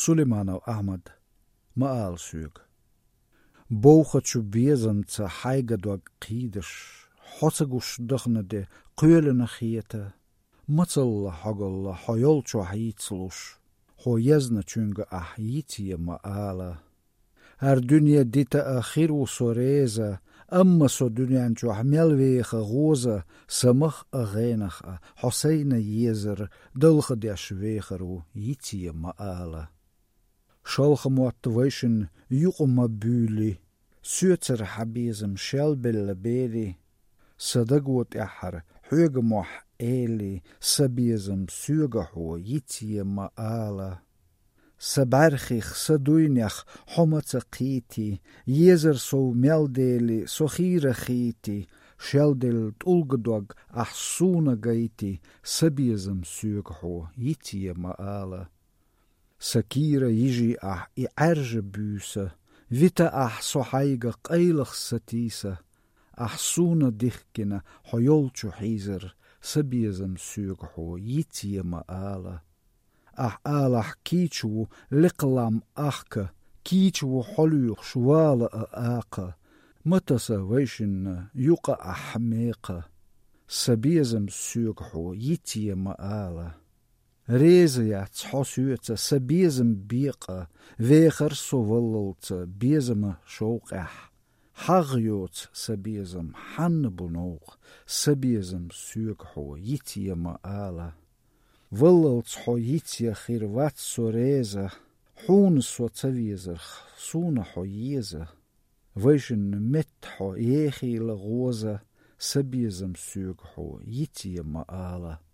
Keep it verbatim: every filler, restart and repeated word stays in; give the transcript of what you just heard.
Сулейманов Ахьмад. «Ма ала соьга». Бовхачу безамца хьайга дог кхийдаш, хьо ца гуш дахана де кхоьлина хета. Мацалла хьогалла хьо йолчохь йицлуш, хьо езначуьнга ахь йицъе ма ала. ХӀара дуьне дита а хир ву со реза, амма со дуьнен чохь мел веха гӀоза, са мах а гӀенах а хьо сайна езар, далха деш вехар ву йицъе ма ала. Шалха мотт вайшин юкъа ма буьйли, соьцара хьан безам шелбелла бели. Сан даго тӀаьххьара хьоьга мохь эли, сан безам соьга хьо йицъе ма ала. Сан бӀаьрхих, сан дуйнех хьо ма ца кхийти, езар сов мел дели, со хийра хийти, шелделла тӀулга дог ахь суна гайти, сан безам соьга хьо йицъе ма ала. Сан кийра йижи ахь и Ӏаьржа буьйса, вита ахь со хьайга къайлах сатийса. Ахь суна дихкина хьо йолчу хьийзар, сан безам соьга хьо йицъе ма ала. Ахь алахь кийча ву лекха лам ахка, кийча ву хьо лоьхуш вала а акха. Ма таса вайшинна юкъа ахь мекха, сан безам соьга хьо йицъе ма ала. Реза яц хьо соьца сан безам бекъа, вехар со валлалца безама шовкъехь. ХьагӀ йоцу сан безам, хьанна бу новкъа, сан безам соьга хьо йицъе ма ала. Валлалца хьо йицъе хир вац со реза, хьуна со ца везарх, суна хьо еза. Вайшинна метта хьо ехийла гӀоза, сан безам соьга хьо йицъе ма ала.